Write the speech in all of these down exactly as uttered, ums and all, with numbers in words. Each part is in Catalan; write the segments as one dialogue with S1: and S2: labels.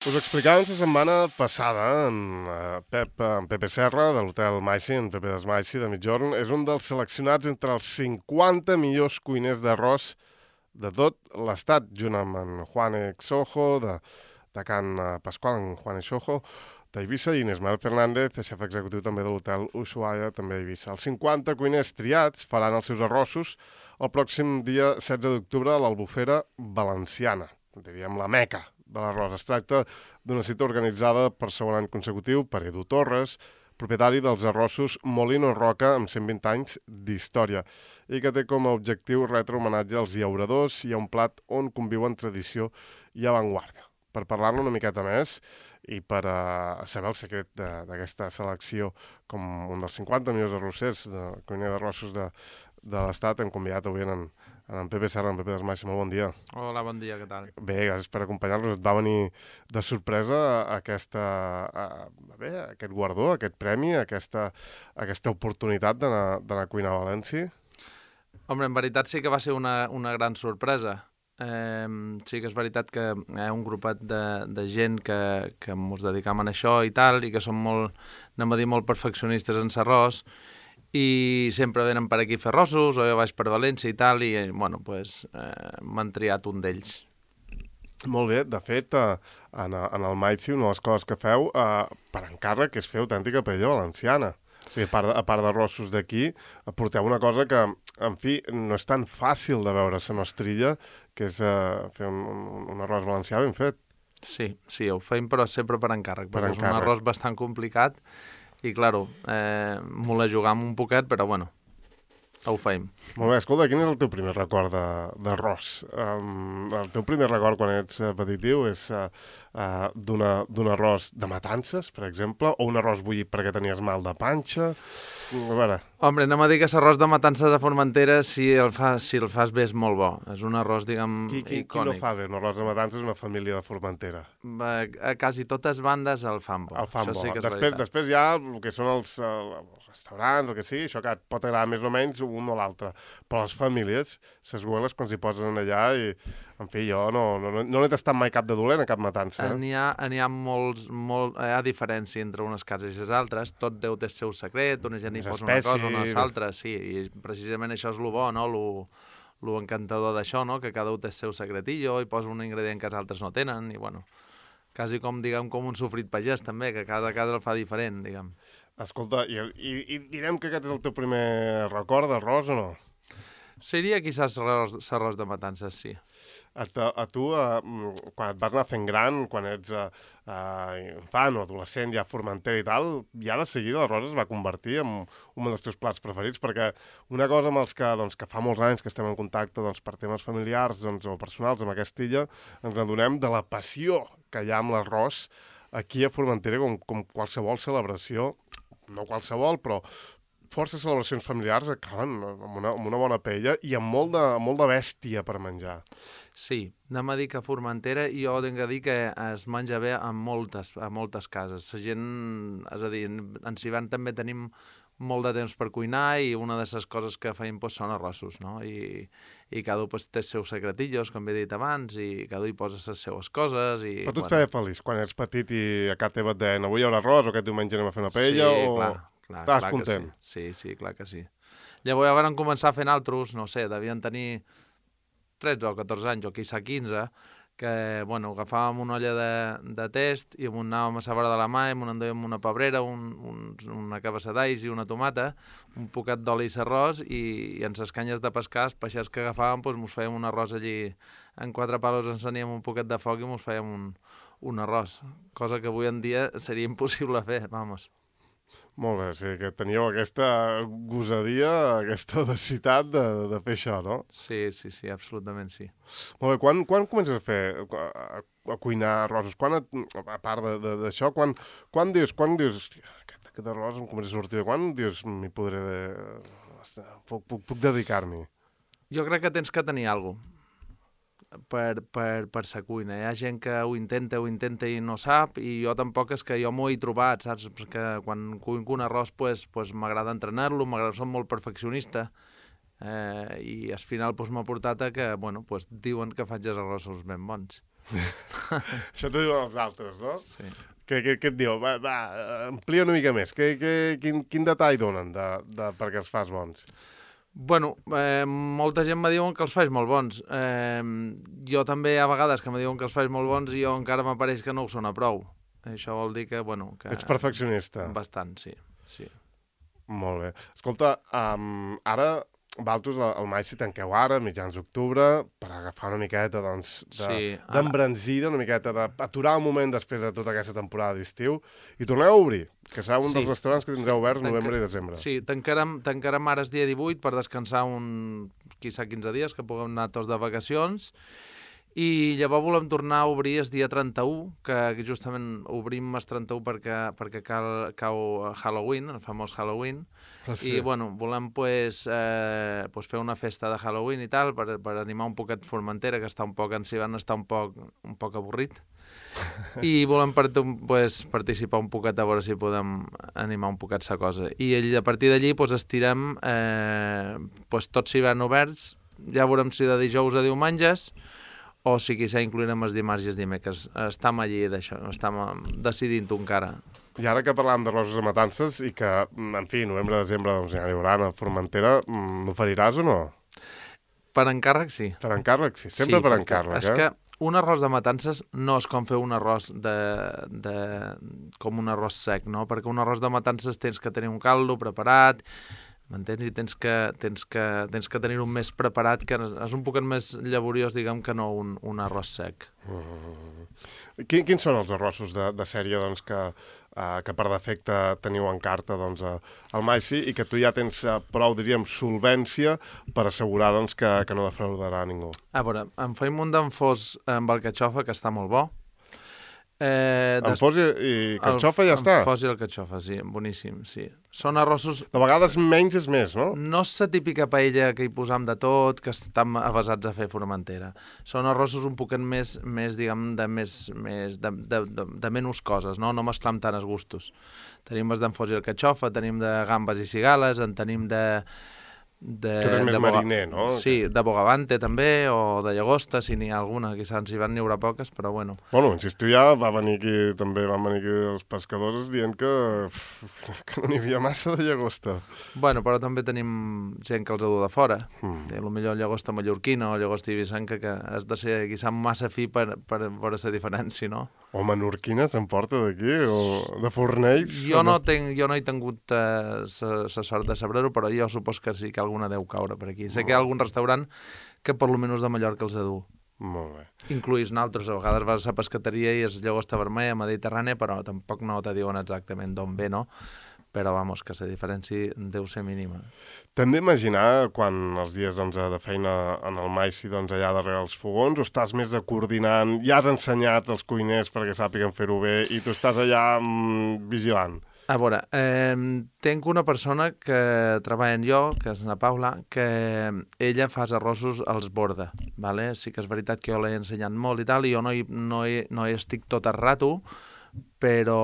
S1: Us explicàvem la setmana passada en uh, Pep, en Pepe Serra, de l'hotel Maici, en Pepe des Maici, de mitjorn, és un dels seleccionats entre els cinquanta millors cuiners d'arròs de tot l'estat, junt amb en Juan Exojo, de, de Can Pasqual, en Juan Exojo, d'Eivissa, i Ismael Fernández, xef executiu també de l'hotel Ushuaia, també a Eivissa. Els cinquanta cuiners triats faran els seus arrossos el pròxim dia setze d'octubre a l'Albufera Valenciana, diríem la meca de l'arròs. Es tracta d'una cita organitzada per segon any consecutiu per Edu Torres, propietari dels arrossos Molino Roca, amb cent vint anys d'història, i que té com a objectiu retre homenatge als llauradors i a un plat on conviuen tradició i avantguarda. Per parlar-ne una miqueta més i per uh, saber el secret d'aquesta selecció com un dels cinquanta millors arrossers, de cuiner d'arrossos de, de l'estat, hem convidat avui en, en Pepe Serra, en Pepe des Maici. Molt bon dia.
S2: Hola, bon dia, què tal?
S1: Bé, gràcies per acompanyar-nos. Et va venir de sorpresa aquesta, a, bé, aquest guardó, aquest premi, aquesta, aquesta oportunitat d'anar a cuinar a València?
S2: Home, en veritat sí que va ser una, una gran sorpresa. Eh, sí que és veritat que hi ha un grupet de, de gent que, que ens dedicam a això i tal, i que som molt, anem a dir, molt perfeccionistes en l'arròs, i sempre venen per aquí a fer arrossos, o jo vaig per València i tal, i bueno, pues, eh, m'han triat un d'ells.
S1: Molt bé, de fet, eh, en, en el Maici, una de les coses que feu, eh, per encàrrec, és fer autèntica paella valenciana. O sigui, a part, a part d'arrossos d'aquí, porteu una cosa que, en fi, no és tan fàcil de veure la nostrilla, que és uh, fer un, un, un arròs valencià ben fet.
S2: Sí, sí, ho feim, però sempre per encàrrec,
S1: per
S2: perquè
S1: encàrrec.
S2: És un arròs bastant complicat, i, claro, eh, m'ho la jugam un poquet, però, bueno, ho feim.
S1: Molt bé, escolta, quin és el teu primer record d'arròs? Um, el teu primer record quan ets uh, petitiu és uh, uh, d'un arròs de matances, per exemple, o un arròs bullit perquè tenies mal de panxa? A veure...
S2: Home, anem a dir que l'arròs de matances a Formentera, si el, fa, si el fas bé, és molt bo. És un arròs, diguem,
S1: qui, qui,
S2: icònic.
S1: Qui no fa bé un arròs de matances és una família de Formentera?
S2: Va, a quasi totes bandes el fan bo.
S1: El fan
S2: això
S1: bo.
S2: Sí que és
S1: després, després hi ha el que són els, els restaurants, el que sigui, això que et pot agradar més o menys un o l'altre. Però les famílies, les goeles, quan s'hi posen allà, i, en fi, jo no, no, no, no n'he tastat mai cap de dolent a cap matança. Eh?
S2: N'hi ha, ha molts, molt, hi ha diferència entre unes cases i les altres, tot Déu té el seu secret, una gent hi posa una cosa, una altra, sí, i precisament això és el bo, no?, lo, lo encantador d'això, no?, que cada un té el seu secretillo i posa un ingredient que els altres no tenen, i bueno, quasi com, diguem, com un sofrit pagès també, que cada casa el fa diferent, diguem.
S1: Escolta, i, i, i direm que aquest és el teu primer record d'arròs o no?
S2: Seria quizás l'arròs de matances, sí.
S1: A, a tu, uh, quan et vas anar fent gran, quan ets uh, uh, infant o adolescent, ja a Formentera i tal, ja de seguida l'arròs es va convertir en un dels teus plats preferits, perquè una cosa amb els que, doncs, que fa molts anys que estem en contacte, doncs, per temes familiars, doncs, o personals amb aquesta illa, ens adonem de la passió que hi ha amb l'arròs aquí a Formentera, com, com qualsevol celebració, no qualsevol, però força celebracions familiars acaben amb una, amb una bona paella i amb molt de, molt de bèstia per menjar.
S2: Sí, anem a dir que a Formentera jo tinc a dir que es menja bé a moltes, a moltes cases. La gent, és a dir, en Sivan també tenim molt de temps per cuinar i una de les coses que feim pues, són arrossos, no? I, i cada un pues, té els seus secretillos, com he dit abans, i cada un hi posa les seues coses. I,
S1: Però tu et
S2: bueno.
S1: feia feliç quan ets petit i a casa teva et deien avui hi haurà arròs o aquest diumenge anem a fer una paella?
S2: Sí,
S1: o...
S2: clar. Clar,
S1: Estàs
S2: clar
S1: content?
S2: Sí. sí, sí, clar que sí. Llavors ja van començar fent altres, no sé, devien tenir tretze o catorze anys, o quizà quinze, que, bueno, agafàvem una olla de, de test i on anàvem a la vora de la mà i on enduíem una pebrera, un, un, una cabassa d'alls i una tomata, un poquet d'oli i arròs, i, i en les canyes de pescar, els peixets que agafàvem, doncs mos fèiem un arròs allí, en quatre palos enceníem un poquet de foc i mos fèiem un, un arròs, cosa que avui en dia seria impossible fer, vamos.
S1: Molt bé, o sigui que teníeu aquesta gosadia, aquesta audacitat de, de fer això, no?
S2: Sí, sí, sí, absolutament sí.
S1: Molt bé, quan, quan comences a fer, a, a cuinar arrossos? Quan, et, a part d'això, quan, quan dius, quan dius, hòstia, aquest, aquest arròs em comença a sortir, quan dius, m'hi podré, de, puc, puc, puc dedicar-m'hi?
S2: Jo crec que tens que tenir alguna cosa per, per, per sa cuina. Hi ha gent que ho intenta, ho intenta i no sap, i jo tampoc és que jo m'ho he trobat, saps? Perquè quan cuinco un arròs, pues, pues, m'agrada entrenar-lo, m'agrada, som molt perfeccionista, eh, i al final pues, m'ha portat a que, bueno, pues, diuen que faig els arrossos ben bons.
S1: Això t'ho diuen els altres, no?
S2: Sí.
S1: Què, què, què et diu? Va, va, amplia una mica més. Que, que, quin, quin detall donen de, de, perquè els fas bons?
S2: Bueno, eh, molta gent me diuen que els faig molt bons. Eh, jo també a vegades que me diuen que els faig molt bons i jo encara m'apareix que no ho són a prou. Això vol dir que, bueno... Que
S1: ets perfeccionista.
S2: Bastant, sí. sí.
S1: Molt bé. Escolta, um, ara... Valtos, el Maici tanqueu ara, mitjans d'octubre, per agafar una miqueta, doncs, d'embranzida, de, sí, una miqueta d'aturar un moment després de tota aquesta temporada d'estiu, i torneu a obrir, que serà un sí. dels restaurants que tindreu oberts Tanca... novembre i desembre.
S2: Sí, tancarem, tancarem ara el dia divuit per descansar un, quizà quinze dies, que puguem anar tots de vacacions, i llavors volem tornar a obrir el dia trenta-u, que justament obrim el trenta-u perquè, perquè cal, cau Halloween, el famós Halloween, ah, sí. i bueno, volem pues, eh, pues fer una festa de Halloween i tal, per, per animar un poquet Formentera, que està un poc ensivant, està un poc, un poc avorrit, i volem per, pues, participar un poquet a veure si podem animar un poquet la cosa. I a partir d'allí pues, estirem eh, pues, tots hivern oberts, ja veurem si de dijous a diumenges, o si quizà incluirem els dimarts i els dimecres. Estem allí d'això, estem decidint-ho encara.
S1: I ara que parlàvem de rossos de matances i que, en fi, novembre, desembre, doncs ja n'hi haurà a Formentera, n'oferiràs o no?
S2: Per encàrrec, sí.
S1: Per encàrrec, sí. Sempre sí, per encàrrec,
S2: és
S1: eh?
S2: que un arròs de matances no és com fer un arròs de, de, com un arròs sec, no? Perquè un arròs de matances tens que tenir un caldo preparat, m'entens? I tens que, tens que, tens que tenir-ho més preparat, que és un poquet més laboriós, diguem, que no un, un arròs sec.
S1: Mm. Quin, quins són els arrossos de, de sèrie doncs, que, uh, que per defecte teniu en carta doncs, uh, al Maici i que tu ja tens uh, prou, diríem, solvència per assegurar doncs, que, que no defraudarà ningú?
S2: A veure, em faig un d'enfós amb alcatxofa, que està molt bo.
S1: Eh, des... Enfós i, i carxofa ja està?
S2: Enfós i alcatxofa, sí, boníssim, sí. Són arrossos...
S1: De vegades menys és més, no?
S2: No és la típica paella que hi posam de tot, que estan avasats a fer Formentera. Són arrossos un poquet més, més diguem, de, més, més, de, de, de, de menys coses, no? No mesclam tant els gustos. Tenim els d'enfós i alcatxofa, tenim de gambes i cigales, en tenim de... De,
S1: que és més
S2: de
S1: mariner, no?
S2: Sí, de bogavante també, o de llagosta, si n'hi ha alguna, quizás si van n'hi haurà poques, però bueno.
S1: Bueno, insistiu ja, va venir aquí, també van venir aquí els pescadors dient que, que no n'hi havia massa de llagosta.
S2: Bueno, però també tenim gent que els ha dut de fora. Mm. I potser llagosta mallorquina o llagosta ibicenca, que has de ser quizás massa fi per, per veure la diferència, no?
S1: O menorquina s'emporta d'aquí, o de Fornells.
S2: Jo no, tenc, jo no he tingut la uh, sort de saber-ho, però jo supos que sí que alguna deu caure per aquí. Sé que hi ha algun restaurant que per lo menys de Mallorca els adú.
S1: Molt bé.
S2: Incluïs naltres, a vegades vas a la pescateria i és llagosta vermella, mediterrània, però tampoc no te diuen exactament d'on ve, no? Però, vamos, que la diferència deu ser mínima.
S1: T'hem d'imaginar, quan els dies doncs, de feina en el Maici, doncs, allà darrere els fogons, o estàs més de coordinant, ja has ensenyat els cuiners perquè sàpiguen fer-ho bé, i tu estàs allà mm, vigilant?
S2: A veure, eh, tenc una persona que treballa en jo, que és la Paula, que ella fa els arrossos als borda, ¿vale? Sí que és veritat que jo l'he ensenyat molt i tal, i jo no hi, no hi, no hi estic tot el rato, però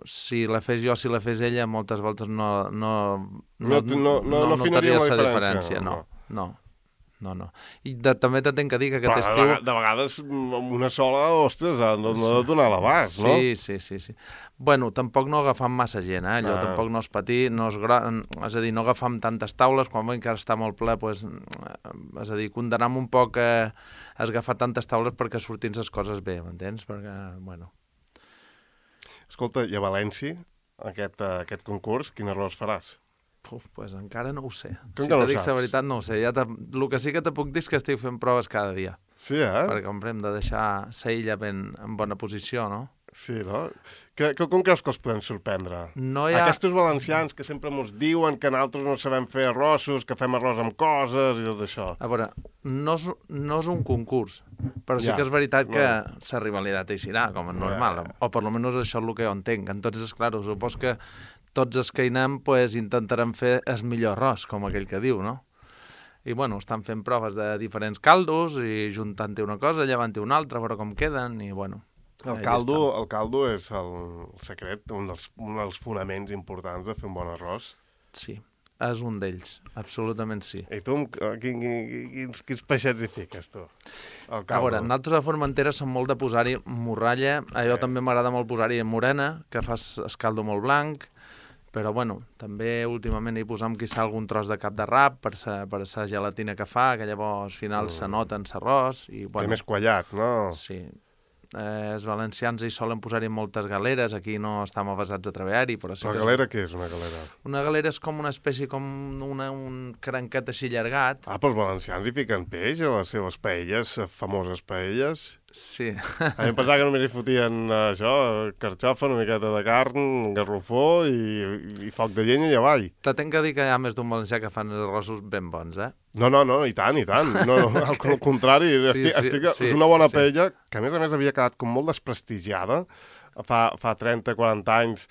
S2: si la fes jo, si la fes ella, moltes voltes no no
S1: no, no, no, no, no notaries la diferència,
S2: diferència. No, no, no, no. I de, també te tenc que dir que aquest
S1: però
S2: estiu...
S1: De, de vegades una sola, ostres, no, no ha de donar l'abast, no?
S2: Sí, sí, sí, sí. Bueno, tampoc no agafam massa gent, eh? Allò ah. tampoc no és petit, no és gran... És a dir, no agafam tantes taules, quan veiem que ara està molt ple, pues, és a dir, condenem un poc a, a agafar tantes taules perquè sortint les coses bé, m'entens? Perquè, bueno...
S1: Escolta, i a València, aquest, uh, aquest concurs, quin arròs faràs?
S2: Uf, pues encara no ho sé.
S1: Com
S2: si
S1: que no
S2: te dic
S1: saps?
S2: la veritat, no ho sé. Ja el que sí que te puc dir és que estic fent proves cada dia.
S1: Sí, eh?
S2: Perquè, hombre, hem de deixar la illa ben, en bona posició, no?
S1: Sí, no? Que, que, com creus que els podem sorprendre?
S2: No hi ha...
S1: Aquests valencians que sempre ens diuen que nosaltres no sabem fer arrossos, que fem arròs amb coses i tot això.
S2: A veure, no és, no és un concurs, però sí
S1: ja,
S2: que és veritat que
S1: no.
S2: la rivalitat hi serà, com és normal. Ja. O per lo menys això és el que jo entenc. Entonces, clar, supos que tots els que hi anem pues, intentarem fer el millor arròs, com aquell que diu, no? I, bueno, estan fent proves de diferents caldos i juntant-hi una cosa, llevant-hi una altra, a veure com queden, i, bueno...
S1: El caldo, el caldo és el, el secret, un dels, un dels fonaments importants de fer un bon arròs.
S2: Sí. és un d'ells, absolutament sí.
S1: I tu, quin, quins, quins peixets hi fiques, tu?
S2: A veure, nosaltres a Formentera som molt de posar-hi morralla, sí. A jo també m'agrada molt posar-hi morena, que fas escaldo molt blanc, però bueno, també últimament hi posam quizà algun tros de cap de rap per sa, per sa gelatina que fa, que llavors al final mm. se nota en l'arròs. Bueno,
S1: té més quallat, no?
S2: Sí. Eh, els valencians hi solen posar-hi moltes galeres, aquí no estem avasats a treballar-hi, però sí
S1: la
S2: que...
S1: La galera és... què és, una galera?
S2: Una galera és com una espècie, com una, un cranquet així allargat.
S1: Ah, però els valencians hi fiquen peix a les seves paelles, famoses paelles?
S2: Sí.
S1: A mi em pensava que només hi fotien això, carxofa, una miqueta de carn, garrofó i, i foc de llenya i avall.
S2: Te tenc que dir que hi ha més d'un valencià que fan els arrossos ben bons, eh?
S1: No, no, no, i tant, i tant. No, no, al contrari, sí, estic,
S2: sí,
S1: estic,
S2: sí,
S1: és una bona
S2: sí.
S1: paella que a més a més havia quedat com molt desprestigiada fa, fa trenta quaranta anys.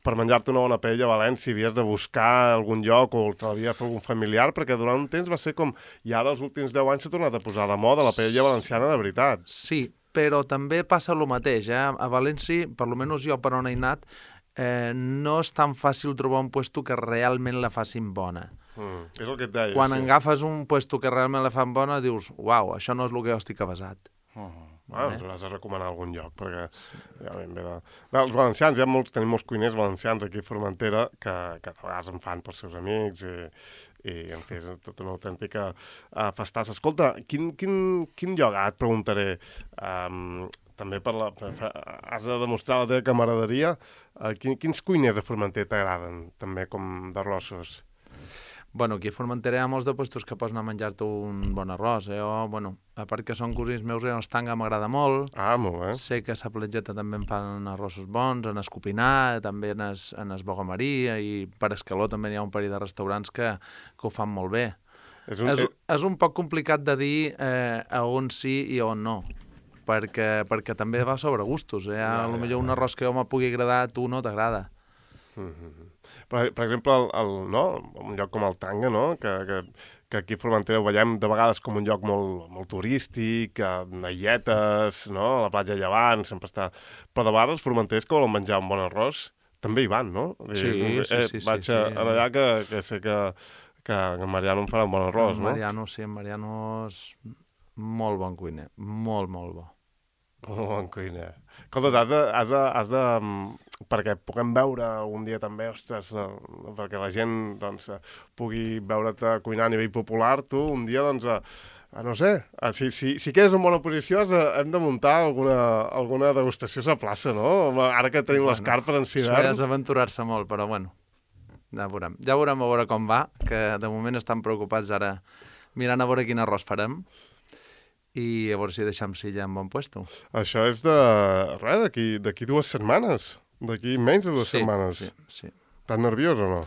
S1: Per menjar-te una bona paella a València havies de buscar algun lloc o te l'havia de fer algun familiar, perquè durant un temps va ser com... I ara els últims deu anys s'ha tornat a posar de moda la paella valenciana de veritat.
S2: Sí, però també passa el mateix, eh? A València, per almenys jo per on he anat, eh, no és tan fàcil trobar un puesto que realment la facin bona.
S1: Mm, és el que et deia.
S2: Quan
S1: sí.
S2: agafes un puesto que realment la fan bona, dius, uau, això no és el que jo estic avasat.
S1: Uh -huh. Ah, ens hauràs de recomanar algun lloc, perquè ja ben bé de... Bé, els valencians, ja molts, tenim molts cuiners valencians aquí a Formentera que, que a vegades en fan pels seus amics i, i en fi, és tota una autèntica uh, festassa. Escolta, quin, quin, quin lloc, ara et preguntaré, um, també per la, per, has de demostrar la teva camaraderia, uh, quin, quins cuiners de Formentera t'agraden, també com d'arrossos?
S2: Bueno, aquí a Formentera hi ha molts de puestos que pots anar a menjar-te un bon arròs. Eh? O, bueno, a part que són cosins meus, el Tanga m'agrada molt.
S1: Ah, molt bé.
S2: Sé que a la platgeta també en fan arrossos bons, en Escopinar, també en es, en es Bogamaria, i per Escaló també hi ha un parell de restaurants que, que ho fan molt bé. És un, és, és un poc complicat de dir eh, a on sí i a on no, perquè, perquè també va sobre gustos. Eh? Ja, potser ja, ja. Un arròs que jo me pugui agradar, a tu no t'agrada.
S1: Mm-hmm. Per, per exemple, el, el, no? Un lloc com el Tanga, no? que, que, que aquí a Formentera ho veiem de vegades com un lloc molt, molt turístic, amb ailletes, no? A la platja Llevant, sempre està... Però de vegades els formenters que volen menjar un bon arròs també hi van, no?
S2: Sí,
S1: eh,
S2: sí, sí.
S1: Vaig
S2: sí,
S1: a,
S2: sí.
S1: allà que, que sé que, que en Mariano em farà un bon arròs,
S2: en
S1: no?
S2: Mariano, sí, en Mariano és molt bon cuiner, molt, molt bo.
S1: Molt bon cuiner. Escolta, has de... Has de, has de perquè puguem veure un dia també, ostres, perquè la gent doncs, pugui veure't cuinar a nivell popular, tu un dia, doncs, a, a, no sé, a, si, si, si quedes en bona posició has de, hem de muntar alguna, alguna degustació a la plaça, no? Ara que tenim bueno, les carpes en hivern.
S2: Això ja és aventurar-se molt, però bueno, ja veurem. Ja veurem a veure com va, que de moment estan preocupats ara mirant a veure quin arròs farem i a veure si deixem Silla en bon puesto.
S1: Això és de, res, d'aquí d'aquí dues setmanes. D'aquí menys de dues
S2: sí,
S1: setmanes.
S2: Sí, sí.
S1: Estàs nerviós o no?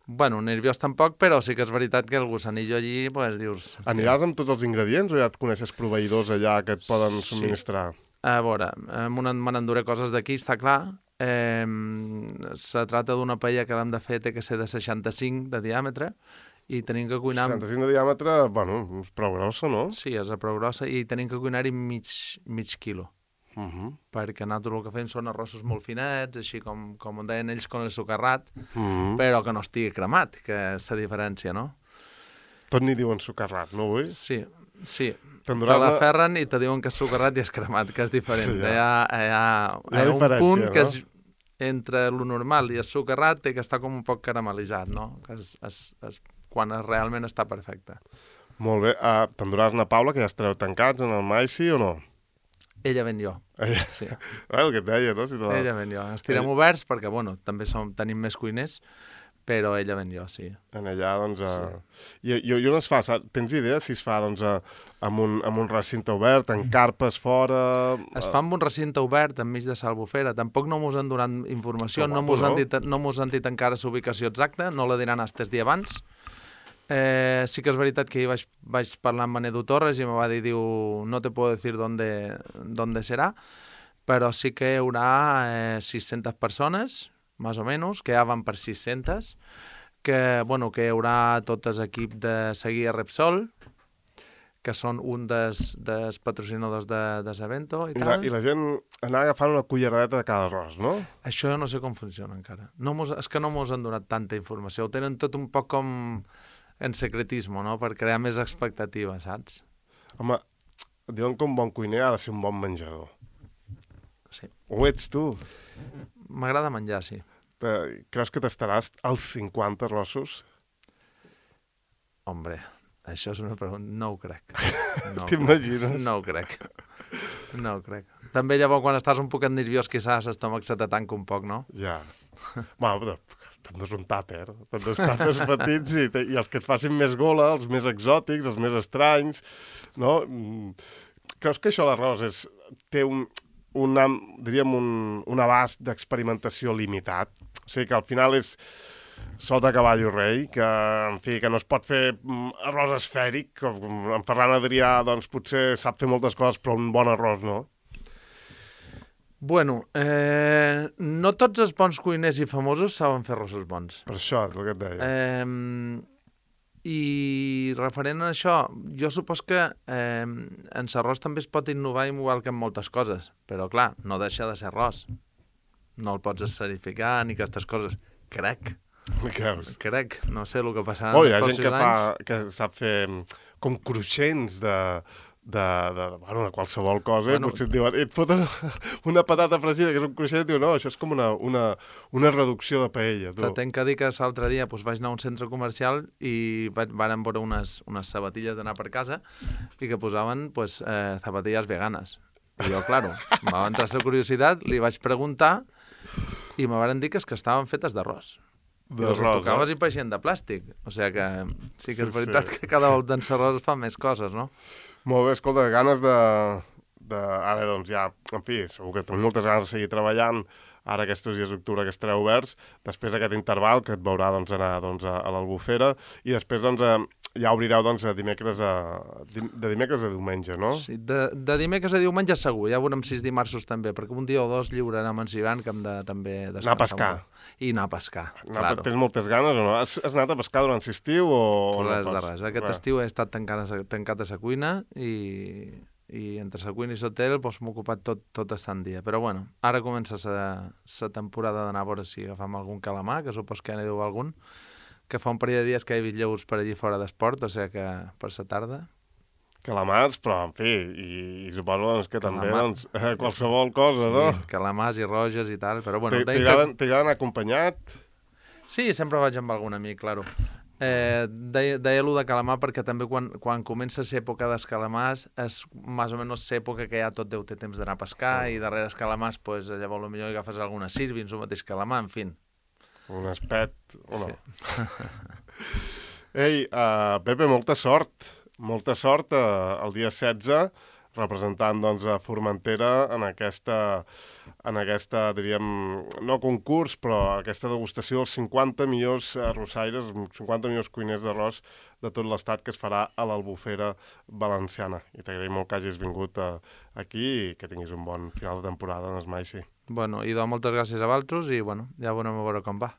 S2: Bueno, nerviós tampoc, però sí que és veritat que el gossanillo allí, pues, dius...
S1: Aniràs amb tots els ingredients o ja et coneixes proveïdors allà que et poden subministrar?
S2: Sí. A veure, me n'enduré coses d'aquí, està clar. Eh, se trata d'una paella que l'hem de fer, té que ser de seixanta-cinc de diàmetre, i tenim que cuinar...
S1: seixanta-cinc de diàmetre, bueno, és prou grossa, no?
S2: Sí, és prou grossa, i tenim que cuinar-hi mig, mig quilo.
S1: Uh -huh.
S2: Perquè nosaltres el que fem són arrossos molt finets, així com, com en deien ells con el socarrat, uh
S1: -huh.
S2: però que no estigui cremat, que és la diferència, no?
S1: Tot n'hi diuen socarrat, no vull?
S2: Sí, sí. Te
S1: la
S2: la ferren i te diuen que és socarrat i és cremat, que és diferent. Sí, ja. Hi ha, hi ha,
S1: hi ha,
S2: hi ha un punt
S1: no?
S2: que és entre lo normal i el socarrat té que estar com un poc caramelitzat, no? Que és, és, és quan realment està perfecte.
S1: Molt bé. Uh, T'enduràs na Paula, que ja estareu tancats en el Maici, o no?
S2: Ella ven jo.
S1: Ella...
S2: Sí.
S1: Ah, el que et deia, no? Si la...
S2: Ella ven jo. Estirem ella... oberts perquè, bueno, també som, tenim més cuiners, però ella ven jo, sí.
S1: En allà, doncs... Uh... Sí. I, i, I on es fa? Tens idea si es fa, doncs, uh, amb, un, amb un recinte obert, en carpes fora...
S2: Es fa amb un recinte obert enmig de l'Albufera. Tampoc no mos han donat informació, Com, no mos no? han dit, no mos han dit encara la ubicació exacta, no la diran hasta el dia abans. Eh, sí que és veritat que hi vaig, vaig parlar amb Edu Torres i em va dir, diu, no te puedo decir dónde, dónde serà, però sí que hi haurà eh, sis-centes persones, més o menys, que ja van per sis-centes, que, bueno, que hi haurà tot l'equip de seguir a Repsol, que són un dels, dels patrocinadors de, de Savento i
S1: I la,
S2: tal.
S1: I la gent anar agafant una culleradeta de cada arròs, no?
S2: Això no sé com funciona encara. No mos, és que no mos han donat tanta informació. Ho tenen tot un poc com en secretismo, no? Per crear més expectativa, saps?
S1: Home, diuen que un bon cuiner ha de ser un bon menjador.
S2: Sí.
S1: Ho ets tu?
S2: M'agrada menjar, sí.
S1: Eh, Creus que t'estaràs als cinquanta arrossos?
S2: Hombre, això és una pregunta... No ho crec. No ho
S1: T'imagines?
S2: crec. No ho crec. No ho crec. També llavors quan estàs un poquet nerviós quizás l'estómac se te tanca un poc, no?
S1: Ja. Bueno, però te'n dos un tàper. Te'n dos tàpers petits i, te, i els que et facin més gola, els més exòtics, els més estranys, no? Mm, Creus que això l'arròs és, té un, un, diríem, un, un abast d'experimentació limitat? O sigui que al final és sota cavallo rei, que, en fi, que no es pot fer mm, arròs esfèric, com en Ferran Adrià, doncs potser sap fer moltes coses, però un bon arròs no.
S2: Bueno, eh, no tots els bons cuiners i famosos saben fer arrossos bons.
S1: Per això, és el que et deia.
S2: Eh, I referent a això, jo supos que eh, en l'arròs també es pot innovar igual que en moltes coses, però clar, no deixa de ser arròs. No el pots escerificar ni aquestes coses. Crec.
S1: Creus?
S2: Crec. No sé el que passarà
S1: Oh,
S2: en
S1: hi ha
S2: els
S1: gent que,
S2: pròxims
S1: fa,
S2: anys.
S1: que sap fer com cruixents de, de, de, bueno, de qualsevol cosa,
S2: Bueno.
S1: bueno, potser et diuen, et foten una patata fregida, que és un cruixent, i diu, no, això és com una, una, una reducció de paella.
S2: Te
S1: Tu.
S2: tenc que dir que l'altre dia doncs, vaig anar a un centre comercial i vaig, vàrem veure unes, unes sabatilles d'anar per casa i que posaven pues, eh, zapatilles veganes. I jo, claro, em va entrar la curiositat, li vaig preguntar i me van dir que, és que estaven fetes d'arròs. I les
S1: D'arròs,
S2: tocaves
S1: eh?
S2: i pareixien de plàstic. O sigui que sí que és
S1: Sí,
S2: veritat
S1: sí.
S2: que cada volta en l'arròs es fan més coses, no?
S1: Molt bé, escolta, ganes de, de... Ara, doncs, ja, en fi, segur que tens moltes ganes de seguir treballant, ara aquests dies d'octubre que estareu oberts, després d'aquest interval que et veurà doncs, anar doncs, a, a l'Albufera, i després doncs, a, ja obrireu doncs, a dimecres a, de dimecres a diumenge, no?
S2: Sí, de, de dimecres a diumenge segur, ja veurem si és dimarts també, perquè un dia o dos lliurarem en Sivan, que hem de també descansar.
S1: Anar a pescar.
S2: molt. I anar a pescar,
S1: Anar,
S2: claro.
S1: Tens moltes ganes o no? Has, has anat a pescar durant l'estiu o
S2: Res
S1: no
S2: de
S1: pots?
S2: res. Aquest
S1: Res.
S2: estiu he estat tancat, a- tancat a la cuina i, i entre la cuina i l'hotel doncs, m'he ocupat tot, tot el sant dia. Però bueno, ara comença la temporada d'anar a veure si agafam algun calamar, que supos que ja n'hi deu algun, que fa un parell de dies que he vist lleus per allí fora d'esport, o sigui que per la tarda.
S1: Calamars, però en fi, i, i suposo doncs, que també
S2: Calamar.
S1: doncs, eh, qualsevol cosa, no?
S2: Sí, calamars i roges i tal, però bueno...
S1: T'hi-
S2: deien
S1: T'agrada
S2: que...
S1: t'agrada anar acompanyat?
S2: Sí, sempre vaig amb algun amic, claro. Eh, deia, deia allò de calamar perquè també quan, quan comença l'època dels calamars és més o menys l'època que ja tot deu ter temps d'anar a pescar
S1: Oh.
S2: i darrere els calamars pues, llavors potser agafes alguna sirvins, un mateix calamar, en fi.
S1: Un espet o no?
S2: Sí.
S1: Ei, uh, Pepe, molta sort. Molta sort uh, el dia setze, representant doncs, a Formentera en aquesta, en aquesta, diríem, no concurs, però aquesta degustació dels cinquanta millors arrossaires, cinquanta millors cuiners d'arròs de tot l'estat que es farà a l'Albufera valenciana. I t'agraïm molt que hagis vingut uh, aquí i que tinguis un bon final de temporada en Esmaixi.
S2: Bueno, i doncs moltes gràcies a vosaltres i bueno, ja veurem a veure com va.